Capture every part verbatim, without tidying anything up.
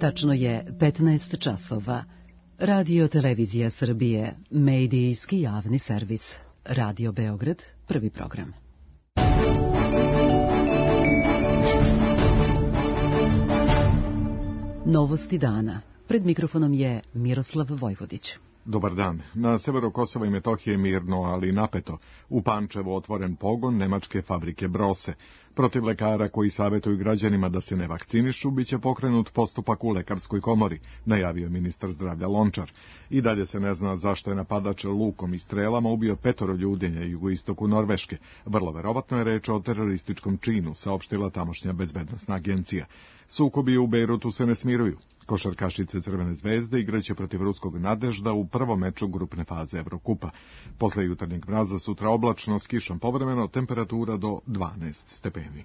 Tačno je petnaest časova. Radio Televizija Srbije, medijski javni servis. Radio Beograd, prvi program. Novosti dana. Pred mikrofonom je Miroslav Vojvodić. Dobar dan. Na severu Kosova i Metohije mirno, ali napeto. U Pančevu otvoren pogon nemačke fabrike Brose. Protiv lekara koji savjetuju građanima da se ne vakcinišu, bit će pokrenut postupak u lekarskoj komori, najavio ministar zdravlja Lončar. I dalje se ne zna zašto je napadač lukom i strelama ubio petoro ljudi na jugoistoku Norveške. Vrlo verovatno je reč o terorističkom činu, saopštila tamošnja bezbednosna agencija. Sukobi u Bejrutu se ne smiruju. Košarkašice Crvene zvezde igraće protiv ruskog Nadežda u prvom meču grupne faze Evrokupa. Posle jutarnjeg mraza sutra oblačno s kišom povremeno, temperatura do dvanaest stepeni.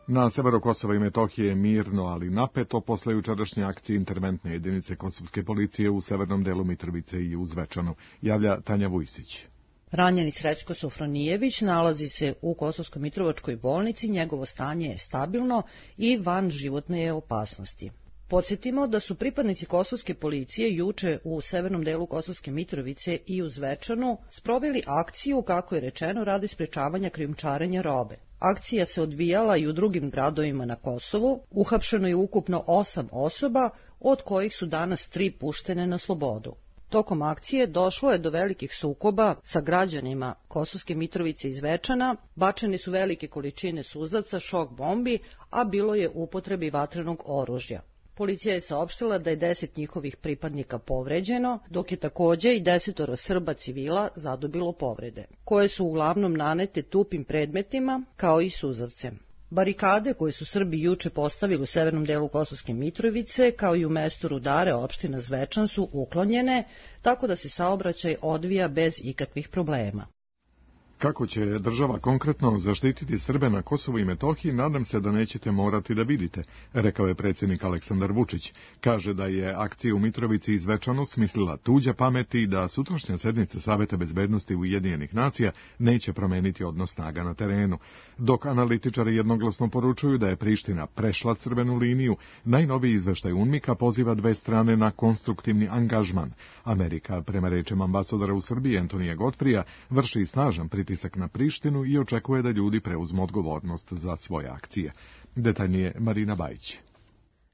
Na severu Kosova i Metohije je mirno, ali napeto posle jučerašnje akcije interventne jedinice kosovske policije u severnom delu Mitrovice i u Zvečanu, javlja Tanja Vujsić. Ranjeni Srećko Sofronijević nalazi se u Kosovsko-Mitrovačkoj bolnici, njegovo stanje je stabilno i van životne je opasnosti. Podsjetimo da su pripadnici kosovske policije juče u severnom delu Kosovske Mitrovice i u Zvečanu sproveli akciju, kako je rečeno, radi sprečavanja krijumčarenja robe. Akcija se odvijala i u drugim gradovima na Kosovu, uhapšeno je ukupno osam osoba, od kojih su danas tri puštene na slobodu. Tokom akcije došlo je do velikih sukoba sa građanima Kosovske Mitrovice i Zvečana, bačene su velike količine suzavca, šok bombi, a bilo je upotrebi vatrenog oružja. Policija je saopštila da je deset njihovih pripadnika povređeno, dok je takođe i desetoro Srba civila zadobilo povrede, koje su uglavnom nanete tupim predmetima kao i suzavcem. Barikade koje su Srbi juče postavili u severnom delu Kosovske Mitrovice, kao i u mestu Rudare, opština Zvečan, su uklonjene, tako da se saobraćaj odvija bez ikakvih problema. Kako će država konkretno zaštititi Srbe na Kosovu i Metohiji, nadam se da nećete morati da vidite, rekao je predsjednik Aleksandar Vučić. Kaže da je akciju u Mitrovici i Zvečanu smislila tuđa pamet i da sutrašnja sednica Saveta bezbednosti Ujedinjenih nacija neće promeniti odnos snaga na terenu. Dok analitičari jednoglasno poručuju da je Priština prešla crvenu liniju, najnoviji izveštaj UNMIK-a poziva dve strane na konstruktivni angažman. Amerika, prema rečima ambasadora u Srbiji Antonija Godfrija, vrši snažan pritisak pritisak na Prištinu i očekuje da ljudi preuzmu odgovornost za svoje akcije. Detaljnije Marina Bajić.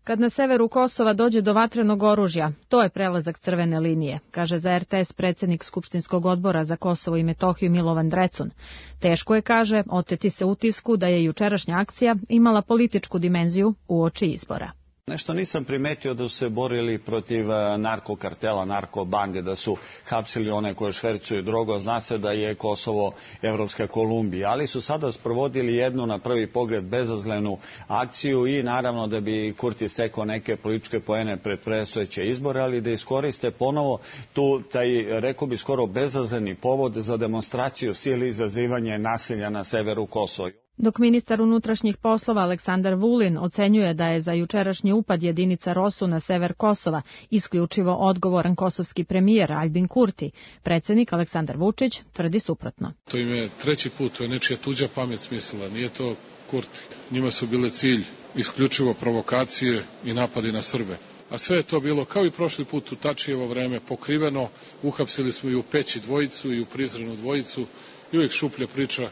Kad na severu Kosova dođe do vatrenog oružja, to je prelazak crvene linije, kaže za er te es predsjednik Skupštinskog odbora za Kosovo i Metohiju Milovan Drecun. Teško je, kaže, oteti se utisku da je jučerašnja akcija imala političku dimenziju uoči izbora. Nešto nisam primetio da su se borili protiv narkokartela, narkobande, da su hapsili one koje švercuju drogu. Zna se da je Kosovo Evropska Kolumbija, ali su sada sprovodili jednu na prvi pogled bezazlenu akciju i naravno da bi Kurti stekao neke političke poene pred predstojeće izbore, ali da iskoriste ponovo tu, taj, rekao bi skoro bezazleni povod za demonstraciju sile i izazivanje nasilja na severu Kosova. Dok ministar unutrašnjih poslova Aleksandar Vulin ocenjuje da je za jučerašnji upad jedinica Rosu na sever Kosova isključivo odgovoran kosovski premijer Aljbin Kurti, predsjednik Aleksandar Vučić tvrdi suprotno. To im je treći put, to je nečija tuđa pamet smislila, nije to Kurti. Njima su bile cilj isključivo provokacije i napadi na Srbe. A sve je to bilo, kao i prošli put u Tačijevo vreme, pokriveno, uhapsili smo i u Peći dvojicu i u Prizrenu dvojicu i uvijek šuplja priča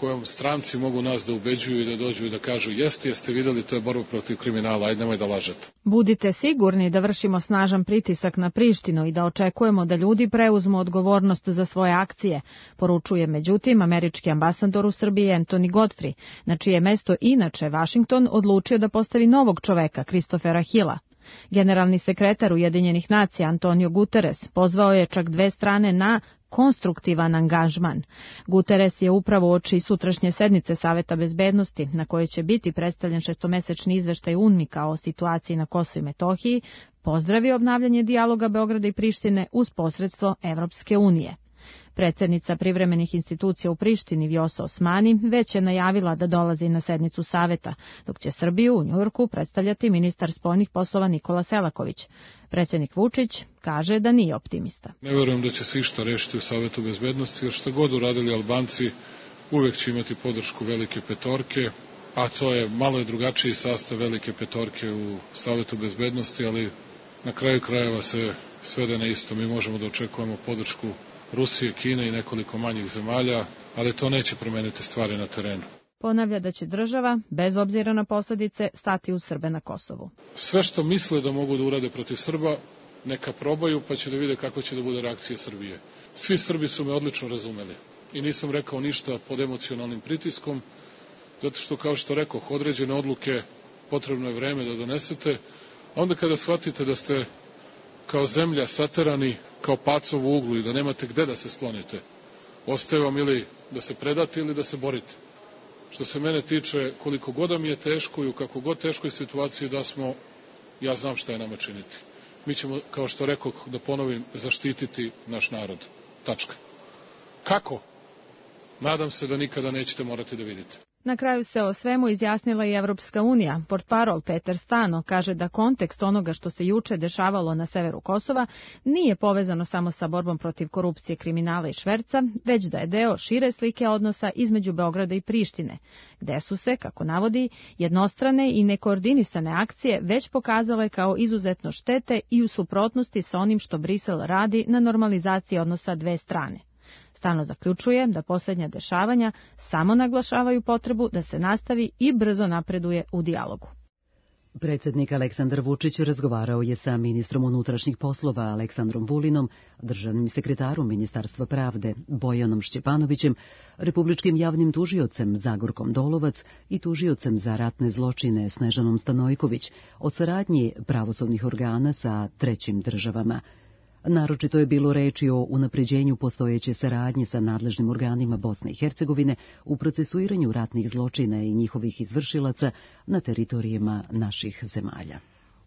kojom stranci mogu nas da ubeđuju i da dođu i da kažu jeste, jeste vidjeli, to je borba protiv kriminala, ajde nemoj da lažete. Budite sigurni da vršimo snažan pritisak na Prištinu i da očekujemo da ljudi preuzmu odgovornost za svoje akcije, poručuje međutim američki ambasador u Srbiji Anthony Godfrey, na čije mesto inače Vašington odlučio da postavi novog čoveka, Christophera Hilla. Generalni sekretar Ujedinjenih nacija Antonio Guterres pozvao je čak dve strane na konstruktivan angažman. Guterres je upravo uoči sutrašnje sednice Saveta bezbednosti, na kojoj će biti predstavljen šestomesečni izveštaj UNMIK-a o situaciji na Kosovu i Metohiji, pozdravio obnavljanje dijaloga Beograda i Prištine uz posredstvo Evropske unije. Predsjednica privremenih institucija u Prištini Vjosa Osmani već je najavila da dolazi na sednicu Saveta, dok će Srbiju u Njujorku predstavljati ministar spoljnih poslova Nikola Selaković. Predsjednik Vučić kaže da nije optimista. Ne vjerujem da će se išta rešiti u Savetu bezbednosti, jer što god uradili Albanci uvek će imati podršku velike petorke a to je malo je drugačiji sastav velike petorke u Savetu bezbednosti, ali na kraju krajeva se svede na isto. Mi možemo da očekujemo podršku Rusije, Kine i nekoliko manjih zemalja, ali to neće promeniti stvari na terenu. Ponavlja da će država, bez obzira na posledice, stati uz Srbe na Kosovu. Sve što misle da mogu da urade protiv Srba, neka probaju, pa će da vide kako će da bude reakcija Srbije. Svi Srbi su me odlično razumeli i nisam rekao ništa pod emocionalnim pritiskom, zato što, kao što rekoh, određene odluke potrebno je vreme da donesete, a onda kada shvatite da ste kao zemlja saterani kao pacov u uglu i da nemate gde da se sklonite, ostaje vam ili da se predate ili da se borite. Što se mene tiče, koliko god mi je teško i u kako god teškoj situaciji da smo, ja znam šta je nama činiti. Mi ćemo, kao što rekoh, da ponovim, zaštititi naš narod. Tačka. Kako? Nadam se da nikada nećete morati da vidite. Na kraju se o svemu izjasnila i Evropska unija. Portparol Peter Stano kaže da kontekst onoga što se juče dešavalo na severu Kosova nije povezano samo sa borbom protiv korupcije, kriminala i šverca, već da je deo šire slike odnosa između Beograda i Prištine, gde su se, kako navodi, jednostrane i nekoordinisane akcije već pokazale kao izuzetno štete i u suprotnosti sa onim što Brisel radi na normalizaciji odnosa dve strane. Stano zaključuje da posljednja dešavanja samo naglašavaju potrebu da se nastavi i brzo napreduje u dijalogu. Predsjednik Aleksandar Vučić razgovarao je sa ministrom unutrašnjih poslova Aleksandrom Vulinom, državnim sekretarom Ministarstva pravde Bojanom Šćepanovićem, republičkim javnim tužiocem Zagorkom Dolovac i tužiocem za ratne zločine Snežanom Stanojković o saradnji pravosudnih organa sa trećim državama. Naročito je bilo reči o unapređenju postojeće saradnje sa nadležnim organima Bosne i Hercegovine u procesuiranju ratnih zločina i njihovih izvršilaca na teritorijima naših zemalja.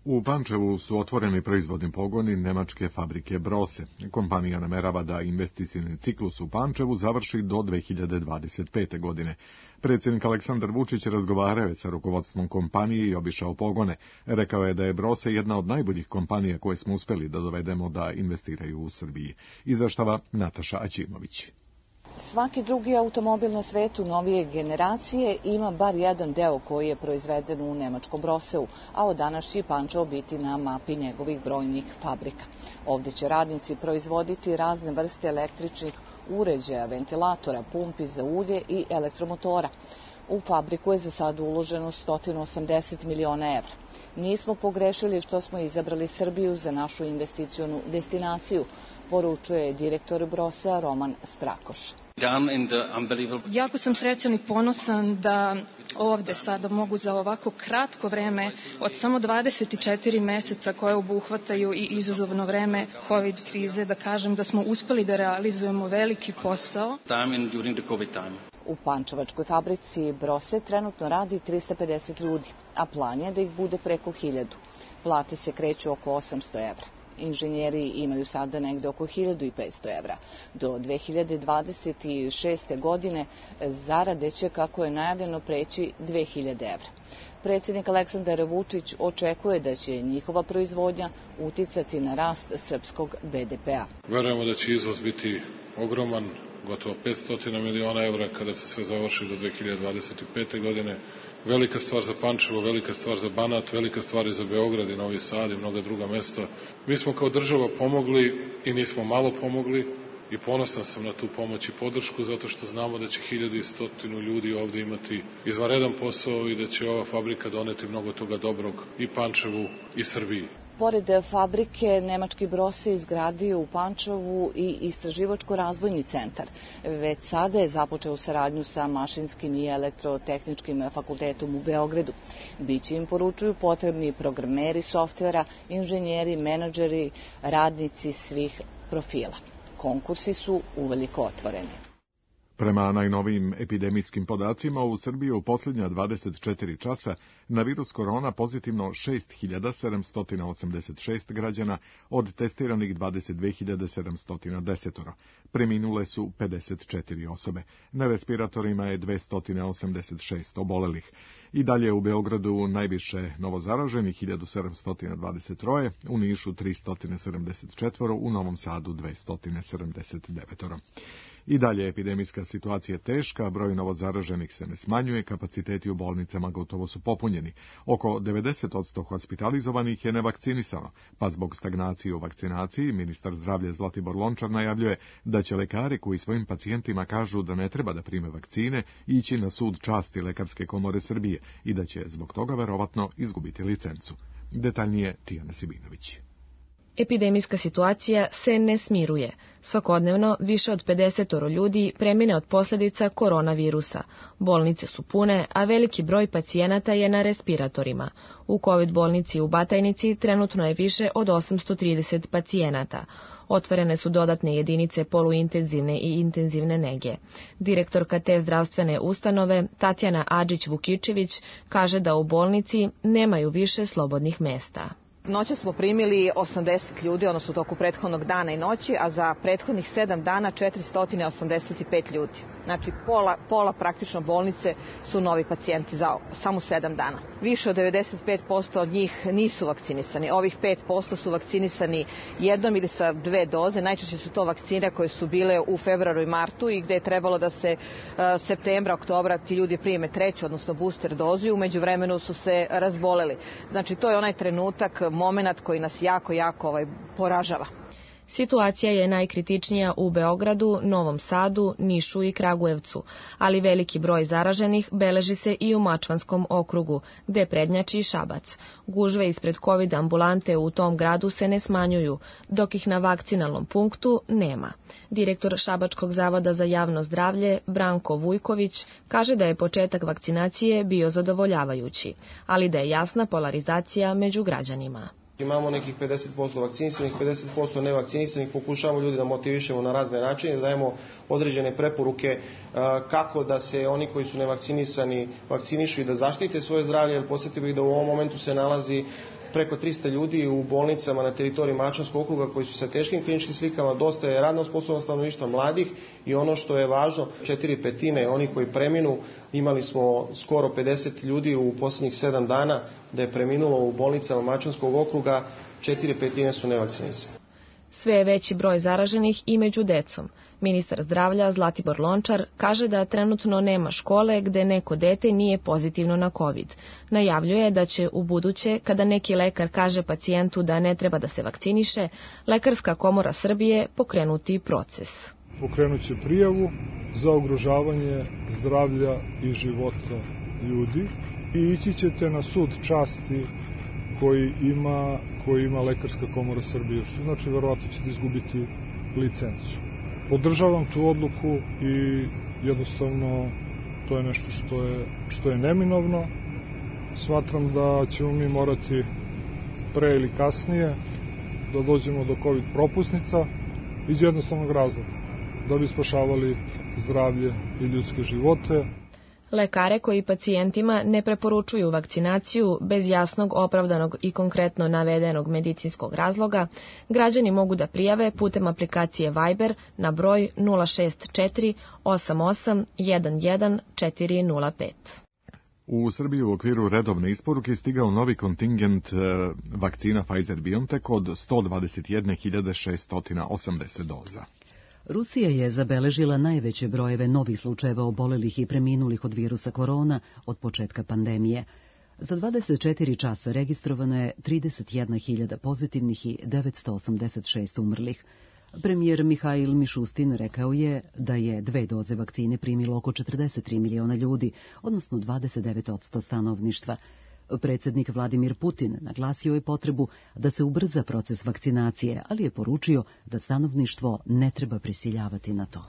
U Pančevu su otvoreni proizvodni pogoni nemačke fabrike Brose. Kompanija namerava da investicioni ciklus u Pančevu završi do dve hiljade dvadeset pete. godine. Predsjednik Aleksandar Vučić razgovarao je sa rukovodstvom kompanije i obišao pogone. Rekao je da je Brose jedna od najboljih kompanija koje smo uspeli da dovedemo da investiraju u Srbiji. Izveštava Nataša Aćimović. Svaki drugi automobil na svetu novije generacije ima bar jedan deo koji je proizveden u nemačkom Broseu, a od danas će Pančevo biti na mapi njegovih brojnih fabrika. Ovdje će radnici proizvoditi razne vrste električnih uređaja, ventilatora, pumpi za ulje i elektromotora. U fabriku je za sad uloženo sto osamdeset miliona evra. Nismo pogrešili što smo izabrali Srbiju za našu investicionu destinaciju, poručuje direktor Brosea Roman Strakoš. Jako sam srećan i ponosan da ovde sada mogu za ovako kratko vreme od samo dvadeset četiri meseca koje obuhvataju i izazovno vreme COVID krize, da kažem da smo uspeli da realizujemo veliki posao. U pančevačkoj fabrici Brose trenutno radi trista pedeset ljudi, a plan je da ih bude preko hiljadu. Plate se kreću oko osamsto evra. Inženjeri imaju sada negde oko hiljadu petsto evra. Do dve hiljade dvadeset šeste. godine zarade će, kako je najavljeno, preći dve hiljade evra. Predsjednik Aleksandar Vučić očekuje da će njihova proizvodnja uticati na rast srpskog be de pe a. Verujemo da će izvoz biti ogroman, gotovo petsto miliona evra kada se sve završi do dve hiljade dvadeset pete. godine. Velika stvar za Pančevo, velika stvar za Banat, velika stvar i za Beograd i Novi Sad i mnoga druga mesta. Mi smo kao država pomogli i nismo malo pomogli i ponosan sam na tu pomoć i podršku zato što znamo da će hiljadu i stotinu ljudi ovdje imati izvanredan posao i da će ova fabrika doneti mnogo toga dobrog i Pančevu i Srbiji. Pored fabrike, nemački Brose izgradio u Pančevu i istraživačko-razvojni centar. Već sada je započeo saradnju sa Mašinskim i elektrotehničkim fakultetom u Beogradu. Biće im, poručuju, potrebni programeri softvera, inženjeri, menadžeri, radnici svih profila. Konkursi su uveliko otvoreni. Prema najnovijim epidemijskim podacima, u Srbiji u posljednja dvadeset četiri časa na virus korona pozitivno šest hiljada sedamsto osamdeset šest građana, od testiranih dvadeset dve hiljade sedamsto deset. Preminule su pedeset četiri osobe. Na respiratorima je dvesta osamdeset šest obolelih. I dalje u Beogradu najviše novozaraženih hiljadu sedamsto dvadeset tri, u Nišu tristo sedamdeset četiri, u Novom Sadu dvesta sedamdeset devet. I dalje epidemijska situacija je teška, broj novozaraženih se ne smanjuje, kapaciteti u bolnicama gotovo su popunjeni. Oko devedeset posto hospitalizovanih je nevakcinisano, pa zbog stagnacije u vakcinaciji ministar zdravlja Zlatibor Lončar najavljuje da će lekari koji svojim pacijentima kažu da ne treba da prime vakcine ići na sud časti Lekarske komore Srbije i da će zbog toga verovatno izgubiti licencu. Detaljnije Tijana Sibinović. Epidemijska situacija se ne smiruje. Svakodnevno više od pedeset ljudi premine od posljedica koronavirusa. Bolnice su pune, a veliki broj pacijenata je na respiratorima. U COVID bolnici u Batajnici trenutno je više od osamsto trideset pacijenata. Otvorene su dodatne jedinice poluintenzivne i intenzivne nege. Direktorka te zdravstvene ustanove, Tatjana Adžić-Vukičević, kaže da u bolnici nemaju više slobodnih mesta. Noće smo primili osamdeset ljudi, odnosno u toku prethodnog dana i noći, a za prethodnih sedam dana četiristo osamdeset pet ljudi. Znači pola, pola praktično bolnice su novi pacijenti za samo sedam dana. Više od devedeset pet posto od njih nisu vakcinisani. Ovih pet posto su vakcinisani jednom ili sa dve doze. Najčešće su to vakcine koje su bile u februaru i martu i gde je trebalo da se uh, septembra, oktobra ti ljudi prime treću, odnosno booster dozu i u međuvremenu su se razboleli. Znači to je onaj trenutak, moment koji nas jako, jako ovaj, poražava. Situacija je najkritičnija u Beogradu, Novom Sadu, Nišu i Kragujevcu, ali veliki broj zaraženih beleži se i u Mačvanskom okrugu, gde prednjači Šabac. Gužve ispred COVID ambulante u tom gradu se ne smanjuju, dok ih na vakcinalnom punktu nema. Direktor Šabačkog zavoda za javno zdravlje, Branko Vujković, kaže da je početak vakcinacije bio zadovoljavajući, ali da je jasna polarizacija među građanima. Imamo nekih pedeset posto vakcinisanih, pedeset posto nevakcinisanih, pokušavamo ljudi da motivišemo na razne načine, da dajemo određene preporuke kako da se oni koji su nevakcinisani vakcinišu i da zaštite svoje zdravlje, jer posjetio bih da u ovom momentu se nalazi preko trista ljudi u bolnicama na teritoriji Mačvanskog okruga koji su sa teškim kliničkim slikama, dosta je radno sposobno stanovništva mladih i ono što je važno, četiri petine oni koji preminu, imali smo skoro pedeset ljudi u posljednjih sedam dana da je preminulo u bolnicama Mačvanskog okruga, četiri petine su nevakcinisani. Sve je veći broj zaraženih i među decom. Ministar zdravlja Zlatibor Lončar kaže da trenutno nema škole gde neko dete nije pozitivno na COVID. Najavljuje da će u buduće, kada neki lekar kaže pacijentu da ne treba da se vakciniše, Lekarska komora Srbije pokrenuti proces. Pokrenut će prijavu za ugrožavanje zdravlja i života ljudi i ići ćete na sud časti koji ima, koji ima Lekarska komora Srbije, što znači verovatno ćete izgubiti licencu. Podržavam tu odluku i jednostavno to je nešto što je, što je neminovno. Smatram da ćemo mi morati pre ili kasnije da dođemo do COVID propusnica iz jednostavnog razloga, da bi spašavali zdravlje i ljudske živote. Lekare koji pacijentima ne preporučuju vakcinaciju bez jasnog, opravdanog i konkretno navedenog medicinskog razloga, građani mogu da prijave putem aplikacije Viber na broj nula šest četiri osam osam jedan jedan četiri nula pet. U Srbiji u okviru redovne isporuke stigao novi kontingent vakcina Pfizer-BioNTech od sto dvadeset jedne hiljade šeststo osamdeset doza. Rusija je zabeležila najveće brojeve novih slučajeva obolelih i preminulih od virusa korona od početka pandemije. Za dvadeset četiri časa registrovano je trideset jedna hiljada pozitivnih i devetsto osamdeset šest umrlih. Premijer Mihail Mišustin rekao je da je dve doze vakcine primilo oko četrdeset tri miliona ljudi, odnosno dvadeset devet posto stanovništva. Predsjednik Vladimir Putin naglasio je potrebu da se ubrza proces vakcinacije, ali je poručio da stanovništvo ne treba prisiljavati na to.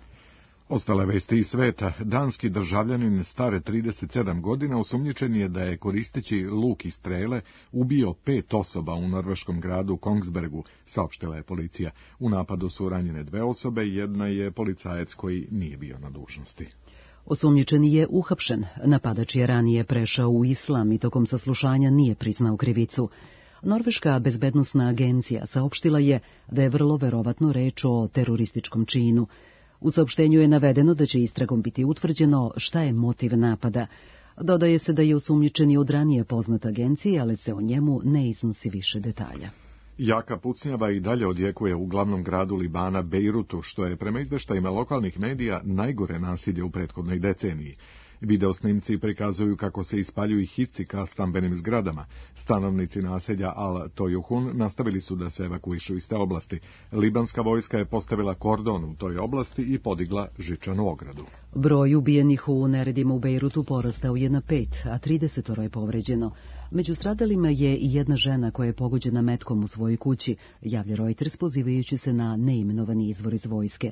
Ostale vesti iz sveta. Danski državljanin stare trideset sedam godina osumnjičen je da je koristeći luk i strele ubio pet osoba u norveškom gradu Kongsbergu, saopštila je policija. U napadu su ranjene dve osobe, jedna je policajac koji nije bio na dužnosti. Osumnjičeni je uhapšen. Napadač je ranije prešao u islam i tokom saslušanja nije priznao krivicu. Norveška bezbednosna agencija saopštila je da je vrlo verovatno reč o terorističkom činu. U saopštenju je navedeno da će istragom biti utvrđeno šta je motiv napada. Dodaje se da je osumnjičeni od ranije poznat agencije, ali se o njemu ne iznosi više detalja. Jaka pucnjava i dalje odjekuje u glavnom gradu Libana Bejrutu, što je prema izveštajima lokalnih medija najgore nasilje u prethodnoj deceniji. Video snimci prikazuju kako se ispaljuju hici ka stambenim zgradama. Stanovnici naselja Al-Tojuhun nastavili su da se evakuišu iz te oblasti. Libanska vojska je postavila kordon u toj oblasti i podigla žičanu ogradu. Broj ubijenih u neredima u Bejrutu porastao je na pet, a tridesetoro je povređeno. Među stradalima je i jedna žena koja je pogođena metkom u svojoj kući, javlja Reuters pozivajući se na neimenovani izvor iz vojske.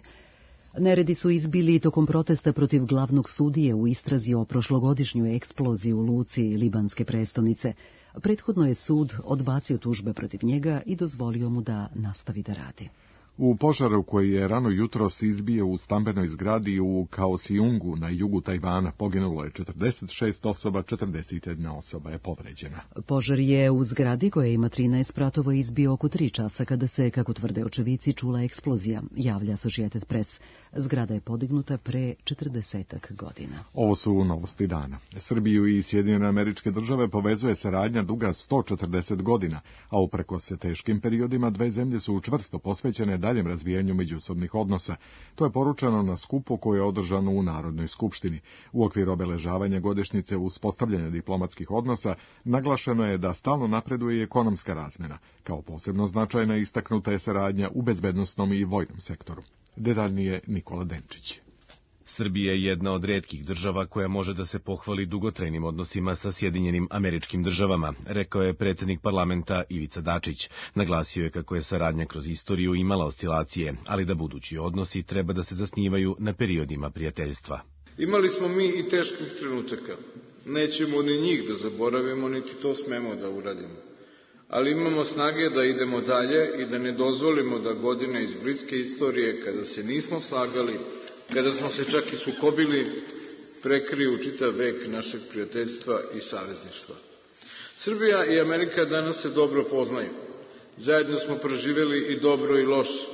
Neredi su izbili tokom protesta protiv glavnog sudije u istrazi o prošlogodišnjoj eksploziji u luci libanske prestonice. Prethodno je sud odbacio tužbe protiv njega i dozvolio mu da nastavi da radi. U požaru koji je rano jutros izbio u stambenoj zgradi u Kaohsiungu na jugu Tajvana poginulo je četrdeset šest osoba, četrdeset jedna osoba je povređena. Požar je u zgradi koja ima trinaest spratova izbio oko tri časa kada se, kako tvrde očevici, čula eksplozija, javlja Associated Press. Zgrada je podignuta pre četrdesetak godina. Ovo su novosti dana. Srbiju i Sjedinjene Američke Države povezuje saradnja duga sto četrdeset godina, a uprkos se teškim periodima dve zemlje su čvrsto posvećene daljem razvijanju međusobnih odnosa. To je poručeno na skupu koje je održano u Narodnoj skupštini. U okviru obeležavanja godišnjice uspostavljanja diplomatskih odnosa naglašeno je da stalno napreduje i ekonomska razmena. Kao posebno značajna istaknuta je saradnja u bezbednosnom i vojnom sektoru. Detaljnije Nikola Denčić. Srbija je jedna od retkih država koja može da se pohvali dugotrajnim odnosima sa Sjedinjenim Američkim Državama, rekao je predsjednik parlamenta Ivica Dačić. Naglasio je kako je saradnja kroz istoriju imala oscilacije, ali da budući odnosi treba da se zasnivaju na periodima prijateljstva. Imali smo mi i teških trenutaka. Nećemo ni njih da zaboravimo, niti to smemo da uradimo. Ali imamo snage da idemo dalje i da ne dozvolimo da godine iz bliske istorije, kada se nismo slagali, kada smo se čak i sukobili, prekriju čitav vek našeg prijateljstva i savezništva. Srbija i Amerika danas se dobro poznaju. Zajedno smo proživjeli i dobro i loše.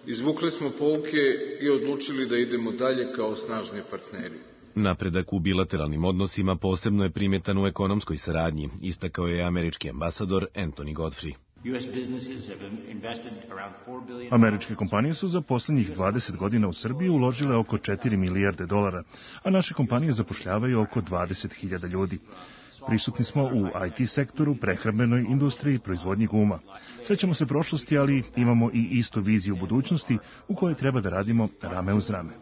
Izvukli smo pouke i odlučili da idemo dalje kao snažni partneri. Napredak u bilateralnim odnosima posebno je primjetan u ekonomskoj saradnji, istakao je američki ambasador Anthony Godfrey. Američke kompanije su za posljednjih dvadeset godina u Srbiji uložile oko četiri milijarde dolara, a naše kompanije zapošljavaju oko dvadeset hiljada ljudi. Prisutni smo u I T sektoru, prehrambenoj industriji i proizvodnji guma. Sećamo se prošlosti, ali imamo i istu viziju budućnosti u kojoj treba da radimo rame uz rame.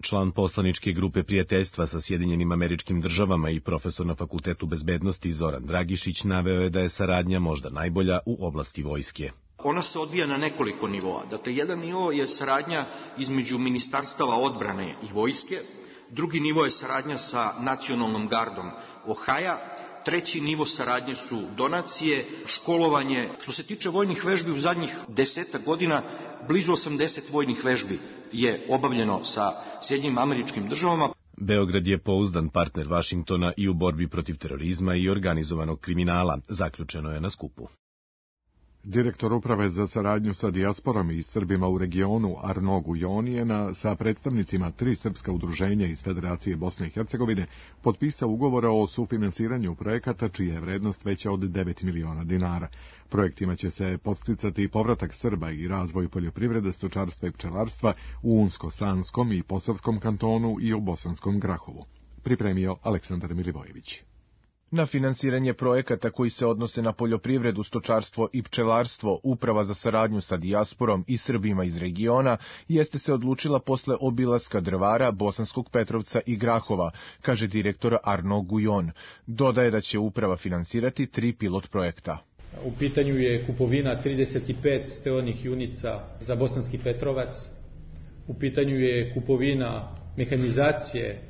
Član poslaničke grupe prijateljstva sa Sjedinjenim Američkim Državama i profesor na Fakultetu bezbednosti Zoran Dragišić naveo je da je saradnja možda najbolja u oblasti vojske. Ona se odvija na nekoliko nivoa. Dakle, jedan nivo je saradnja između ministarstava odbrane i vojske, drugi nivo je saradnja sa nacionalnom gardom Ohaja, treći nivo saradnje su donacije, školovanje. Što se tiče vojnih vežbi, u zadnjih desetak godina blizu osamdeset vojnih vežbi je obavljeno sa Sjedinjenim Američkim Državama. Beograd je pouzdan partner Vašingtona i u borbi protiv terorizma i organizovanog kriminala, zaključeno je na skupu. Direktor uprave za saradnju sa dijasporom i Srbima u regionu Arno Gujon je na, sa predstavnicima tri srpska udruženja iz Federacije Bosne i Hercegovine potpisao ugovore o sufinansiranju projekata čija je vrednost veća od devet miliona dinara. Projektima će se podsticati povratak Srba i razvoj poljoprivrede, stočarstva i pčelarstva u Unsko-Sanskom i Posavskom kantonu i u Bosanskom Grahovu. Pripremio Aleksandar Milivojević. Na finansiranje projekata koji se odnose na poljoprivredu, stočarstvo i pčelarstvo, Uprava za saradnju sa dijasporom i Srbima iz regiona jeste se odlučila posle obilaska Drvara, Bosanskog Petrovca i Grahova, kaže direktor Arno Gujon. Dodaje da će Uprava finansirati tri pilot projekta. U pitanju je kupovina trideset pet steonih junica za Bosanski Petrovac. U pitanju je kupovina mehanizacije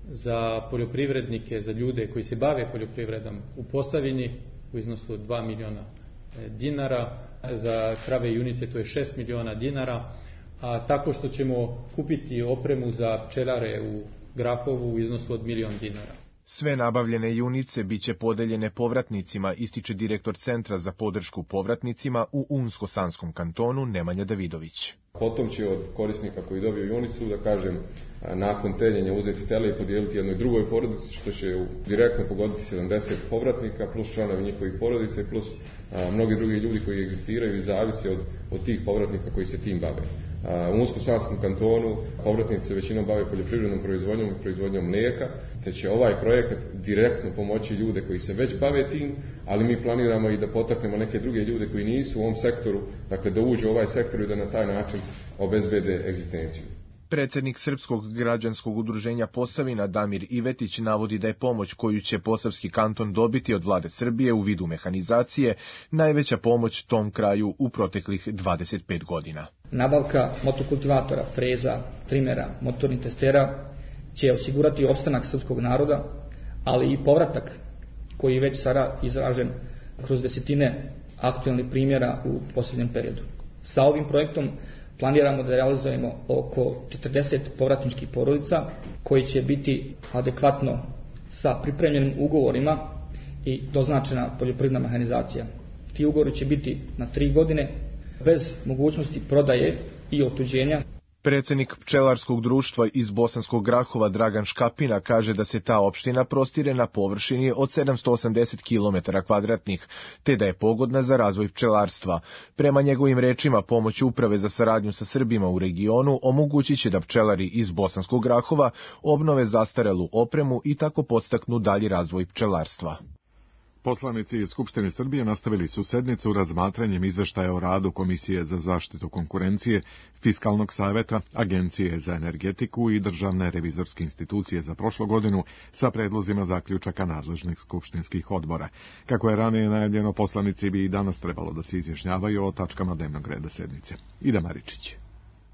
za poljoprivrednike, za ljude koji se bave poljoprivredom u Posavini u iznosu od dva miliona dinara, za krave i junice to je šest miliona dinara, a tako što ćemo kupiti opremu za pčelare u Grahovu u iznosu od milion dinara. Sve nabavljene junice biće podeljene povratnicima, ističe direktor Centra za podršku povratnicima u Unsko-Sanskom kantonu Nemanja Davidović. Potom će od korisnika koji dobiju junicu, da kažem, nakon teljenja uzeti tele i podijeliti jednoj drugoj porodici, što će direktno pogoditi sedamdeset povratnika, plus članovi njihovih porodica i plus a, mnogi drugi ljudi koji egzistiraju i zavisi od, od tih povratnika koji se tim bave. U Unsko-Sanskom kantonu povratnici se većinom bave poljoprivrednom proizvodnjom i proizvodnjom mlijeka, te će ovaj projekat direktno pomoći ljude koji se već bave tim, ali mi planiramo i da potaknemo neke druge ljude koji nisu u ovom sektoru, dakle da uđu u ovaj sektor i da na taj način obezbede egzistenciju. Predsednik Srpskog građanskog udruženja Posavina Damir Ivetić navodi da je pomoć koju će Posavski kanton dobiti od vlade Srbije u vidu mehanizacije najveća pomoć tom kraju u proteklih dvadeset pet godina. Nabavka motokultivatora, freza, trimera, motornih testera će osigurati opstanak srpskog naroda, ali i povratak koji je već sada izražen kroz desetine aktualnih primjera u posljednjem periodu. Sa ovim projektom planiramo da realizujemo oko četrdeset povratničkih porodica koji će biti adekvatno sa pripremljenim ugovorima i doznačena poljoprivredna mehanizacija. Ti ugovori će biti na tri godine bez mogućnosti prodaje i otuđenja. Predsednik pčelarskog društva iz Bosanskog Grahova Dragan Škapina kaže da se ta opština prostire na površini od sedamsto osamdeset kilometara kvadratnih, te da je pogodna za razvoj pčelarstva. Prema njegovim rečima, pomoć Uprave za saradnju sa Srbima u regionu omogućit će da pčelari iz Bosanskog Grahova obnove zastarelu opremu i tako podstaknu dalji razvoj pčelarstva. Poslanici iz Skupštine Srbije nastavili su sednicu razmatranjem izveštaja o radu Komisije za zaštitu konkurencije, Fiskalnog saveta, Agencije za energetiku i Državne revizorske institucije za prošlu godinu sa predlozima zaključaka nadležnih skupštinskih odbora. Kako je ranije najavljeno, poslanici bi i danas trebalo da se izjašnjavaju o tačkama dnevnog reda sednice. Ida Maričić.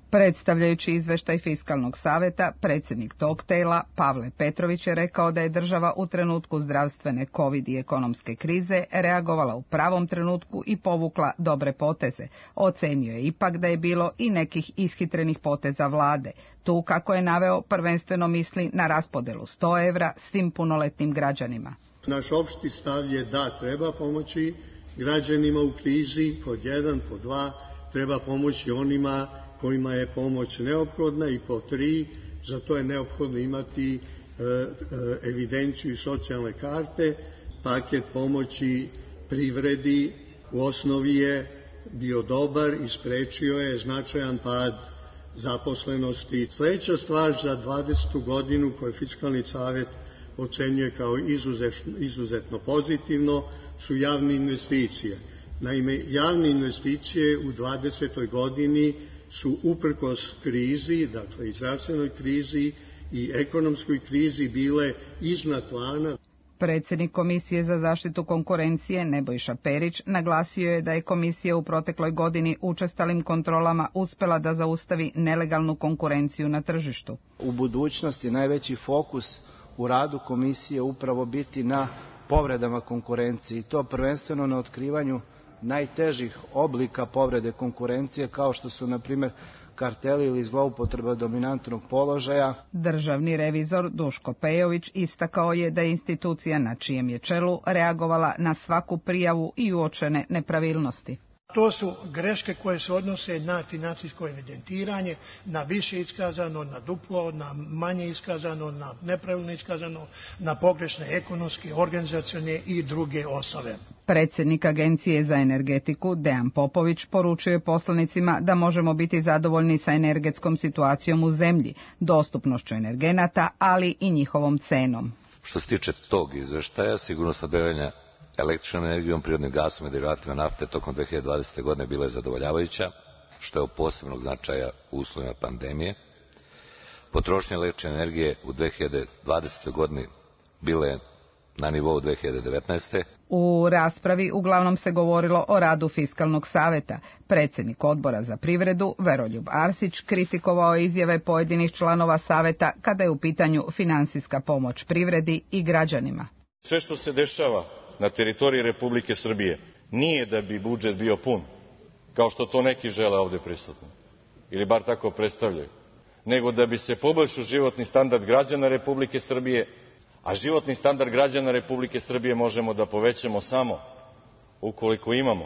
Predstavljajući izveštaj Fiskalnog saveta, predsjednik tog tela Pavle Petrović je rekao da je država u trenutku zdravstvene covid i ekonomske krize reagovala u pravom trenutku i povukla dobre poteze. Ocenio je ipak da je bilo i nekih ishitrenih poteza vlade. Tu, kako je naveo, prvenstveno misli na raspodelu sto evra svim punoletnim građanima. Naš opšti stav je da treba pomoći građanima u krizi, pod jedan, pod dva, treba pomoći onima kojima je pomoć neophodna i po tri, za to je neophodno imati e, e, evidenciju i socijalne karte. Paket pomoći privredi u osnovi je bio dobar i sprečio je značajan pad zaposlenosti. Sljedeća stvar za dvadesetu godinu koju Fiskalni savet ocenjuje kao izuzetno, izuzetno pozitivno su javne investicije. Naime, javne investicije u dvadesetoj godini su uprkos krizi, dakle i zdravstvenoj krizi i ekonomskoj krizi bile iznad plana. Predsjednik Komisije za zaštitu konkurencije Nebojša Perić naglasio je da je komisija u protekloj godini učestalim kontrolama uspela da zaustavi nelegalnu konkurenciju na tržištu. U budućnosti najveći fokus u radu komisije upravo biti na povredama konkurencije i to prvenstveno na otkrivanju najtežih oblika povrede konkurencije kao što su na primjer karteli ili zloupotreba dominantnog položaja. Državni revizor Duško Pejović istakao je da je institucija na čijem je čelu reagovala na svaku prijavu i uočene nepravilnosti. To su greške koje se odnose na financijsko evidentiranje, na više iskazano, na duplo, na manje iskazano, na nepravilno iskazano, na pogrešne ekonomske, organizacione i druge osnove. Predsjednik Agencije za energetiku Dejan Popović poručuje poslanicima da možemo biti zadovoljni sa energetskom situacijom u zemlji, dostupnošću energenata, ali i njihovom cenom. Što se tiče tog izveštaja, sigurno snabdevanja električnom energijom, prirodnim gasom i derivatima nafte tokom dve hiljade dvadesete. godine bila je zadovoljavajuća, što je od posebnog značaja u uslovima pandemije. Potrošnja električne energije u dve hiljade dvadesetoj. godini bila je na nivou dve hiljade devetnaeste. U raspravi uglavnom se govorilo o radu Fiskalnog saveta. Predsjednik odbora za privredu Veroljub Arsić kritikovao izjave pojedinih članova saveta kada je u pitanju finansijska pomoć privredi i građanima. Sve što se dešava na teritoriji Republike Srbije nije da bi budžet bio pun, kao što to neki žele ovde prisutni, ili bar tako predstavljaju, nego da bi se poboljšao životni standard građana Republike Srbije, A životni standard građana Republike Srbije možemo da povećamo samo ukoliko imamo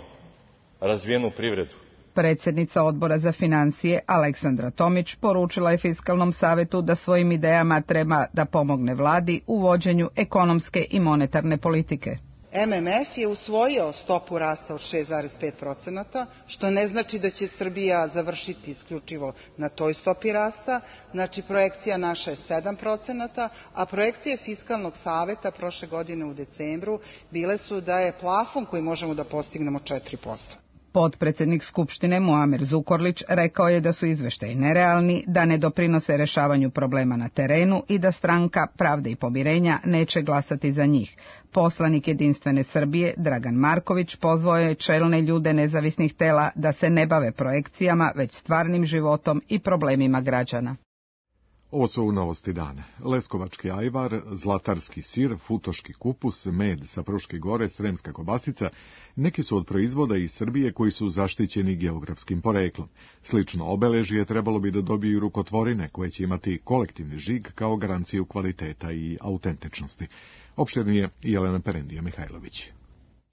razvijenu privredu. Predsjednica Odbora za financije Aleksandra Tomić poručila je Fiskalnom savetu da svojim idejama treba da pomogne vladi u vođenju ekonomske i monetarne politike. M M F je usvojio stopu rasta od šest zarez pet procenata, što ne znači da će Srbija završiti isključivo na toj stopi rasta. Znači, projekcija naša je sedam procenata, a projekcije Fiskalnog saveta prošle godine u decembru bile su da je plafon koji možemo da postignemo četiri posto. Potpredsednik Skupštine Muamer Zukorlić rekao je da su izveštaji nerealni, da ne doprinose rešavanju problema na terenu i da stranka Pravde i pomirenja neće glasati za njih. Poslanik Jedinstvene Srbije Dragan Marković pozvao je čelne ljude nezavisnih tela da se ne bave projekcijama, već stvarnim životom i problemima građana. Ovo su novosti dana. Leskovački ajvar, zlatarski sir, futoški kupus, med sa Fruške gore, sremska kobasica, neki su od proizvoda iz Srbije koji su zaštićeni geografskim poreklom. Slično obeležje trebalo bi da dobiju rukotvorine koje će imati kolektivni žig kao garanciju kvaliteta i autentičnosti. Opširnije Jelena Perendija Mihajlović.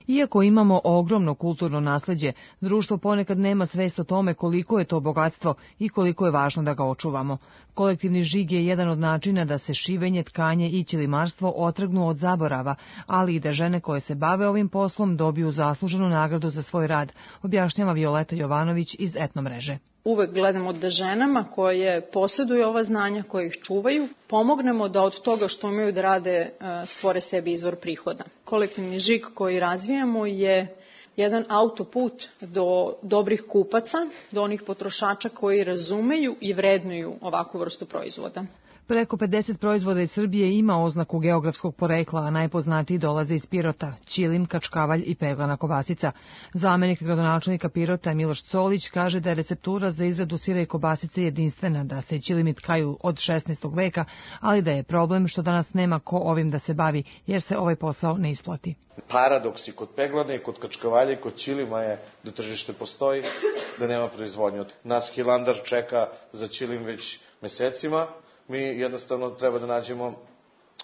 Iako imamo ogromno kulturno nasleđe, društvo ponekad nema svest o tome koliko je to bogatstvo i koliko je važno da ga očuvamo. Kolektivni žig je jedan od načina da se šivenje, tkanje i ćilimarstvo otrgnu od zaborava, ali i da žene koje se bave ovim poslom dobiju zasluženu nagradu za svoj rad, objašnjava Violeta Jovanović iz Etnomreže. Uvek gledamo da ženama koje posjeduju ova znanja, koje ih čuvaju, pomognemo da od toga što imaju da rade stvore sebi izvor prihoda. Kolektivni žig koji razvijamo je jedan autoput do dobrih kupaca, do onih potrošača koji razumeju i vrednuju ovakvu vrstu proizvoda. Preko pedeset proizvoda iz Srbije ima oznaku geografskog porekla, a najpoznatiji dolaze iz Pirota, ćilim, kačkavalj i peglana kobasica. Zamenik gradonačelnika Pirota Miloš Colić kaže da je receptura za izradu sira i kobasice jedinstvena, da se ćilimi tkaju od šesnaestog veka, ali da je problem što danas nema ko ovim da se bavi, jer se ovaj posao ne isplati. Paradoks i kod peglane i kod kačkavalja i kod ćilima je da tržište postoji, da nema proizvodnje. Nas Hilandar čeka za ćilim već mesecima. Mi jednostavno treba da nađemo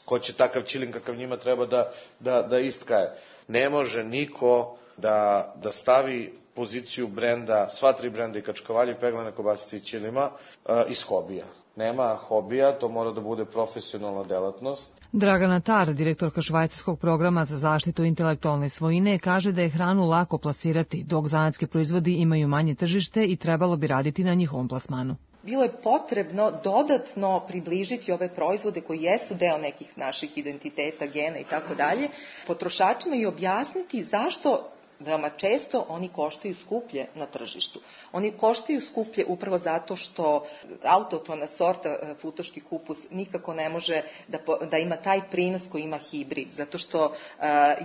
ko će takav ćilim kakav njima treba da, da, da istkaje. Ne može niko da, da stavi poziciju brenda, sva tri brenda i kačkavalje, peglane kobasice i ćilima uh, iz hobija. Nema hobija, to mora da bude profesionalna delatnost. Dragana Tar, direktorka švajcarskog programa za zaštitu intelektualne svojine, kaže da je hranu lako plasirati, dok zanatski proizvodi imaju manje tržište i trebalo bi raditi na njihovom plasmanu. Bilo je potrebno dodatno približiti ove proizvode koji jesu deo nekih naših identiteta, gena i tako dalje, potrošačima i objasniti zašto veoma često oni koštaju skuplje na tržištu. Oni koštaju skuplje upravo zato što autohtona sorta futoški kupus nikako ne može da, da ima taj prinos koji ima hibrid, zato što uh,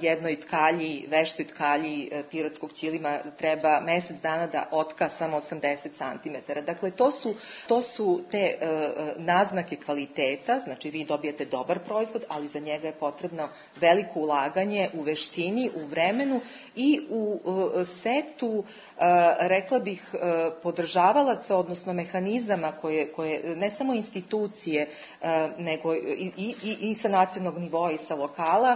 jednoj tkalji, veštoj tkalji uh, pirotskog ćilima treba mesec dana da otka samo osamdeset centimetara. Dakle, to su, to su te uh, naznake kvaliteta, znači vi dobijete dobar proizvod, ali za njega je potrebno veliko ulaganje u veštini, u vremenu i u setu, rekla bih, podržavalaca, odnosno mehanizama koje, koje ne samo institucije, nego i, i, i sa nacionalnog nivoa i sa lokala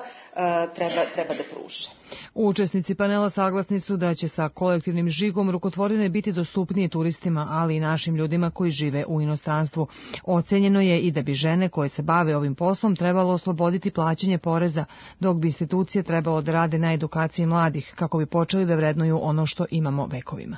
treba, treba da pruže. Učesnici panela saglasni su da će sa kolektivnim žigom rukotvorine biti dostupnije turistima, ali i našim ljudima koji žive u inostranstvu. Ocenjeno je i da bi žene koje se bave ovim poslom trebalo osloboditi plaćanje poreza, dok bi institucije trebalo da rade na edukaciji mladih, kako bi počeli da vrednuju ono što imamo vekovima.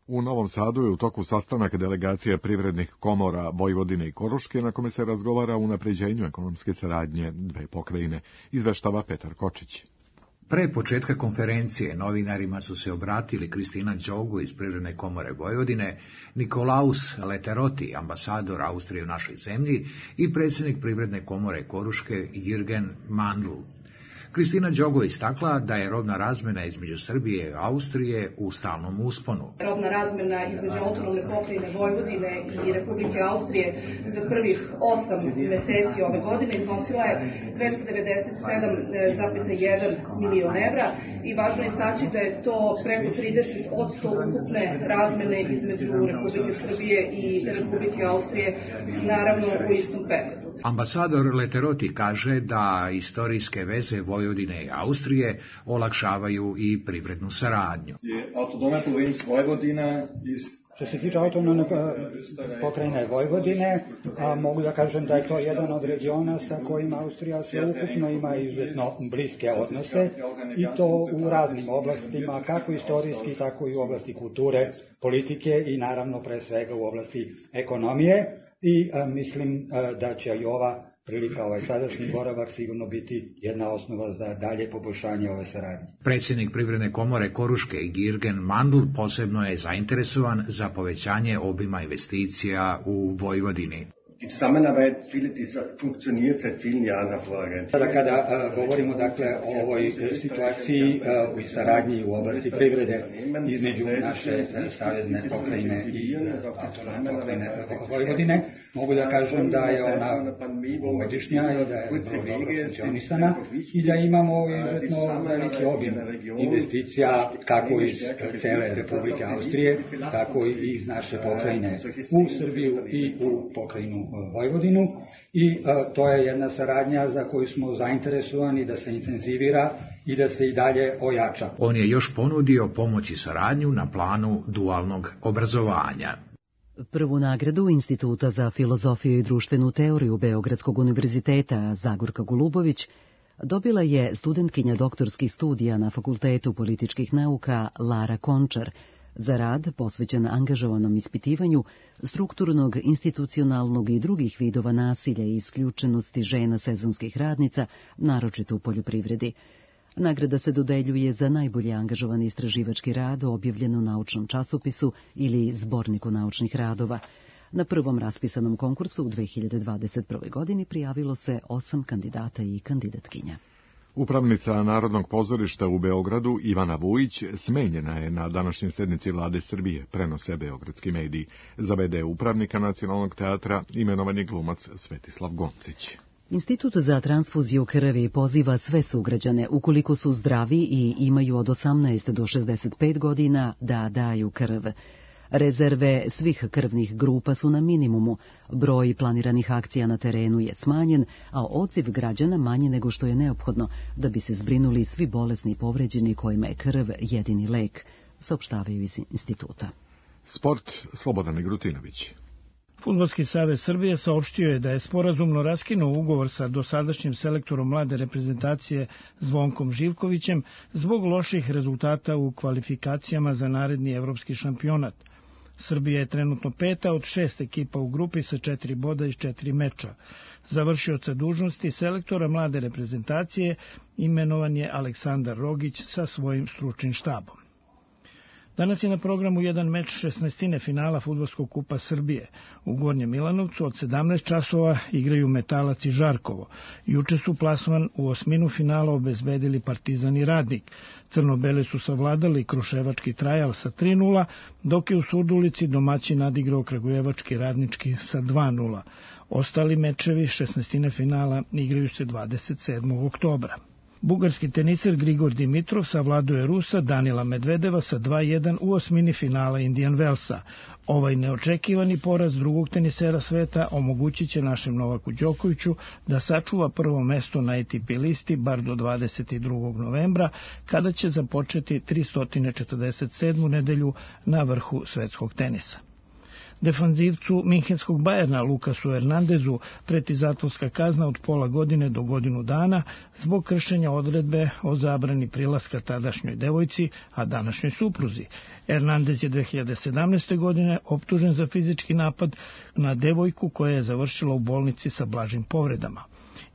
U Novom Sadu je u toku sastanak delegacija privrednih komora Vojvodine i Koruške, na kome se razgovara o unapređenju ekonomske saradnje dve pokrajine, izveštava Petar Kočić. Pre početka konferencije novinarima su se obratili Kristina Đogu iz Privredne komore Vojvodine, Nikolaus Leteroti, ambasador Austrije u našoj zemlji, i predsjednik Privredne komore Koruške Jürgen Mandl. Kristina Đogo istakla da je robna razmjena između Srbije i Austrije u stalnom usponu. Robna razmjena između autonomne pokrajine Vojvodine i Republike Austrije za prvih osam meseci ove godine iznosila je dvesta devedeset sedam zarez jedan milion evra i važno je istaći da je to preko trideset posto ukupne razmjene između Republike Srbije i Republike Austrije, naravno u istom periodu. Ambasador Leteroti kaže da istorijske veze Vojvodine i Austrije olakšavaju i privrednu saradnju. Što se tiče autonomne pokrajine Vojvodine, a, mogu da kažem da je to jedan od regiona sa kojima Austrija sveukupno ima izuzetno bliske odnose i to u raznim oblastima, kako istorijski, tako i u oblasti kulture, politike i naravno pre svega u oblasti ekonomije i a, mislim a, da će i ova prilika, ovaj sadašnji boravak sigurno biti jedna osnova za dalje poboljšanje ove saradnje. Predsjednik Privredne komore Koruške Girgen Mandl posebno je zainteresovan za povećanje obima investicija u Vojvodini. Die Zusammenarbeit funktioniert seit vielen Jahren hervorragend. Sada kada a, govorimo dakle o ovoj situaciji a, u saradnji u oblasti privrede između naše savezne pokrajine i autonomne pokrajine Vojvodine, mogu da kažem da je ona godišnja i da je vrlo dobro funkcionisana i da imamo izuzetno veliki obim investicija kako iz cele Republike Austrije, tako i iz naše pokrajine u Srbiju i u pokrajinu Vojvodinu i a, to je jedna saradnja za koju smo zainteresovani da se intenzivira i da se i dalje ojača. On je još ponudio pomoć i saradnju na planu dualnog obrazovanja. Prvu nagradu Instituta za filozofiju i društvenu teoriju Beogradskog univerziteta Zagorka Golubović dobila je studentkinja doktorskih studija na Fakultetu političkih nauka Lara Končar za rad posvećen angažovanom ispitivanju strukturnog, institucionalnog i drugih vidova nasilja i isključenosti žena sezonskih radnica, naročito u poljoprivredi. Nagrada se dodeljuje za najbolje angažovani istraživački rad objavljen u naučnom časopisu ili zborniku naučnih radova. Na prvom raspisanom konkursu u dve hiljade dvadeset prve. godini prijavilo se osam kandidata i kandidatkinja. Upravnica Narodnog pozorišta u Beogradu Ivana Vujić smenjena je na današnjoj sednici Vlade Srbije, prenose beogradski mediji. Za v de upravnika Nacionalnog teatra imenovan je glumac Svetislav Goncić. Institut za transfuziju krvi poziva sve sugrađane, ukoliko su zdravi i imaju od osamnaest do šezdeset pet godina, da daju krv. Rezerve svih krvnih grupa su na minimumu, broj planiranih akcija na terenu je smanjen, a odziv građana manji nego što je neophodno da bi se zbrinuli svi bolesni i povređeni kojima je krv jedini lek, saopštavaju iz instituta. Sport, Slobodan Migrutinović. Fudbalski savez Srbije saopštio je da je sporazumno raskinuo ugovor sa dosadašnjim selektorom mlade reprezentacije Zvonkom Živkovićem zbog loših rezultata u kvalifikacijama za naredni evropski šampionat. Srbija je trenutno peta od šest ekipa u grupi sa četiri boda iz četiri meča. Završioca dužnosti selektora mlade reprezentacije imenovan je Aleksandar Rogić sa svojim stručnim štabom. Danas je na programu jedan meč šesnaestine finala Fudbalskog kupa Srbije. U Gornjem Milanovcu od sedamnaest časova igraju Metalac i Žarkovo. Juče su plasman u osminu finala obezbedili Partizan i Radnik. Crno-bele su savladali Kruševački Trajal sa tri nula, dok je u Surdulici domaćin nadigrao Kragujevački Radnički sa dva nula. Ostali mečevi šesnaestine finala igraju se dvadeset sedmog oktobra. Bugarski teniser Grigor Dimitrov savladuje Rusa Danila Medvedeva sa dva jedan u osmini finala Indian Wellsa. Ovaj neočekivani poraz drugog tenisera sveta omogućit će našem Novaku Đokoviću da sačuva prvo mesto na A T P listi bar do dvadeset drugog novembra, kada će započeti tristo četrdeset sedmu nedelju na vrhu svetskog tenisa. Defanzivcu minhenskog Bajerna Lukasu Hernandezu preti zatvorska kazna od pola godine do godinu dana zbog kršenja odredbe o zabrani prilaska tadašnjoj devojci, a današnjoj supruzi. Hernandez je dve hiljade sedamnaeste. godine optužen za fizički napad na devojku koja je završila u bolnici sa blažim povredama.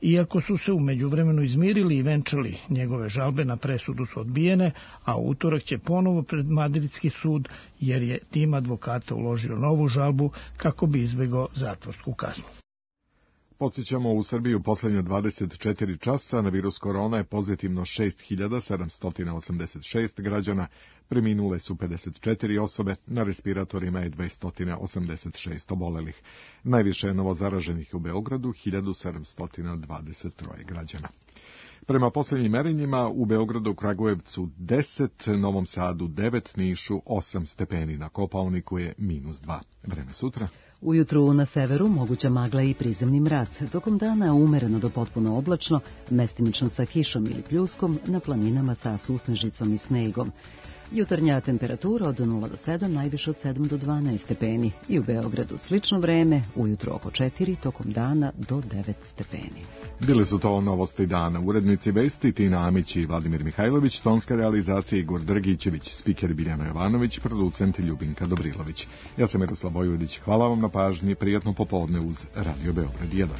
Iako su se u međuvremenu izmirili i venčali, njegove žalbe na presudu su odbijene, a u utorak će ponovo pred madridski sud, jer je tim advokata uložio novu žalbu kako bi izbegao zatvorsku kaznu. Podsjećamo, u Srbiji u posljednje dvadeset četiri časa na virus korona je pozitivno šest hiljada sedamsto osamdeset šest građana, preminule su pedeset četiri osobe, na respiratorima je dvesta osamdeset šest obolelih. Najviše je novozaraženih u Beogradu, hiljadu sedamsto dvadeset tri građana. Prema posljednjim merenjima u Beogradu, Kragujevcu deset, Novom Sadu devet, Nišu osam stepeni, na Kopaoniku je minus dva. Vreme sutra. Ujutru na severu moguća magla i prizemni mraz, tokom dana umereno do potpuno oblačno, mestimično sa kišom ili pljuskom, na planinama sa susnežicom i snegom. Jutarnja temperatura od nula do sedam, najviše od sedam do dvanaest stepeni. I u Beogradu slično vreme, ujutro oko četiri, tokom dana do devet stepeni. Bili su to novosti dana. Urednici vesti Tina Amić i Vladimir Mihajlović, tonska realizacija Igor Drgićević, spiker Biljana Jovanović, producent Ljubinka Dobrilović. Ja sam Miroslav Vojvodić, hvala vam na pažnji, prijatno popodne uz Radio Beograd jedan.